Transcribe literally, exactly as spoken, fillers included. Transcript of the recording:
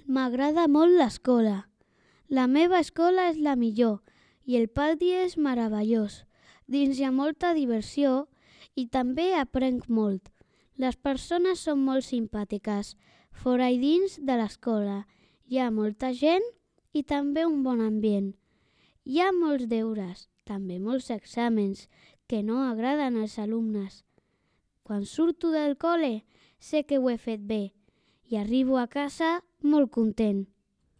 M'agrada molt l'escola. La meva escola és la millor i el pati és meravellós. Dins hi ha molta diversió i també aprenc molt. Les persones són molt simpàtiques. Fora i dins de l'escola hi ha molta gent i també un bon ambient. Hi ha molts deures, també molts exàmens, que no agraden als alumnes. Quan surto del col·le sé que ho he fet bé i arribo a casa molt content.